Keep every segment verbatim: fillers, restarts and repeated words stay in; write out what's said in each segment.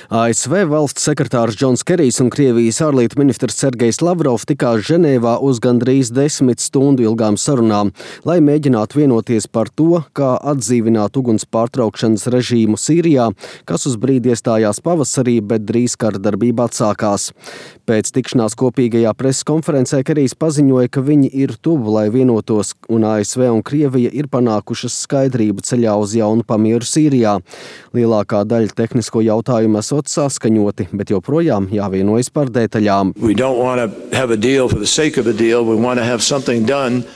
A S V valsts sekretārs Džons Kerijs un Krievijas ārlietu ministrs Sergejs Lavrovs tikās Ženēvā uz gandrīz desmit stundu ilgām sarunām, lai mēģinātu vienoties par to, kā atdzīvināt uguns pārtraukšanas režīmu Sīrijā, kas uz brīdi iestājās pavasarī, bet drīz kara darbība atsākās. Pēc tikšanās kopīgajā preses konferencē Kerijs paziņoja, ka viņi ir tuvu, lai vienotos, un A S V un Krievija ir panākušas skaidrību ceļā uz jaunu pamieru Sīrijā. Lielākā daļa tehnisko jautājumu esot saskaņoti, bet joprojām jāvienojas par detaļām.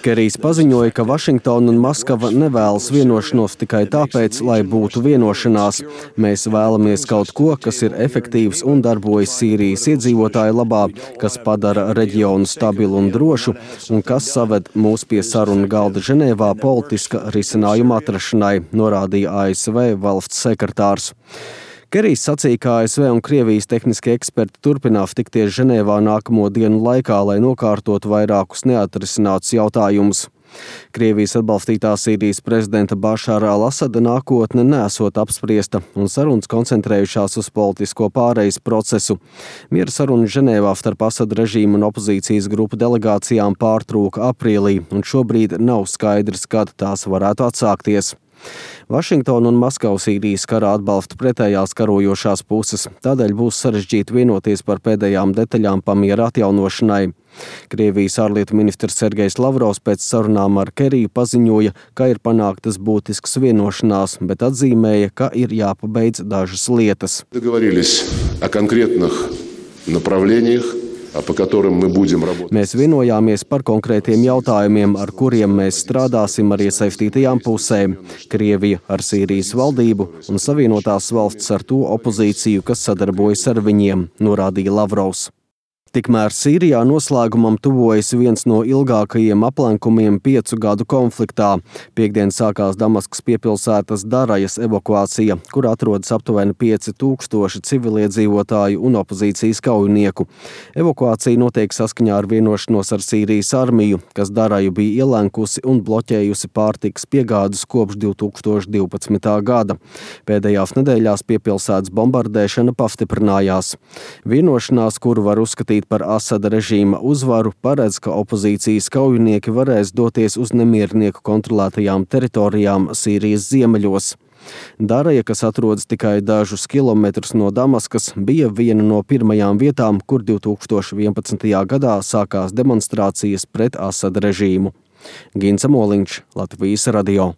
Kerijs paziņoja, ka Vašingtona un Maskava nevēlas vienošanos tikai tāpēc, lai būtu vienošanās. Mēs vēlamies kaut ko, kas ir efektīvs un darbojas Sīrijas iedzīvotāju labā, kas padara reģionu stabilu un drošu, un kas saved mūs pie sarunu galda Ženēvā politiska risinājuma atrašanai, norādīja A S V valsts sekretārs. Kerijs sacīja, ka A S V un Krievijas tehniskie eksperti turpinās tikties Ženēvā nākamo dienu laikā, lai nokārtotu vairākus neatrisinātus jautājumus. Krievijas atbalstītā Sīrijas prezidenta Bašāra al-Asada nākotne nesot apspriesta, un sarunas koncentrējušās uz politisko pārejas procesu. Miera sarunas Ženēvā starp Asada režīmu un opozīcijas grupu delegācijām pārtrūka aprīlī, un šobrīd nav skaidrs, kad tās varētu atsākties. Vašingtona un Maskava Sīrijas karā atbalsta pretējās karojošās puses, tādēļ būs sarežģīti vienoties par pēdējām detaļām pamiera atjaunošanai. Krievijas ārlietu ministrs Sergejs Lavrovs pēc sarunām ar Keriju paziņoja, ka ir panāktas būtiskas vienošanās, bet atzīmēja, ka ir jāpabeidz dažas lietas. Mēs vienojāmies par konkrētiem jautājumiem, ar kuriem mēs strādāsim ar iesaistītajām pusēm – Krievija ar Sīrijas valdību un Savienotās valsts ar to opozīciju, kas sadarbojas ar viņiem, norādīja Lavrovs. Tikmēr Sīrijā noslēgumam tuvojas viens no ilgākajiem aplenkumiem piecu gadu konfliktā. Piektdien sākās Damaskas piepilsētas Darajas evakuācija, kur atrodas aptuveni pieci tūkstoši civiliedzīvotāju un opozīcijas kaujinieku. Evakuācija notiek saskaņā ar vienošanos ar Sīrijas armiju, kas Daraju bija ielenkusi un bloķējusi pārtikas piegādes kopš divi tūkstoši divpadsmitā gada. Pēdējās nedēļās piepilsētas bombardēšana pastiprinājās. Vienošanās, kuru var uzskatīt par Asada režīma uzvaru, paredz, ka opozīcijas kaujinieki varēs doties uz nemiernieku kontrolētajām teritorijām Sīrijas ziemeļos. Daraja, kas atrodas tikai dažus kilometrus no Damaskas, bija viena no pirmajām vietām, kur divi tūkstoši vienpadsmitajā gadā sākās demonstrācijas pret Asada režīmu. Gints Moliņš, Latvijas radio.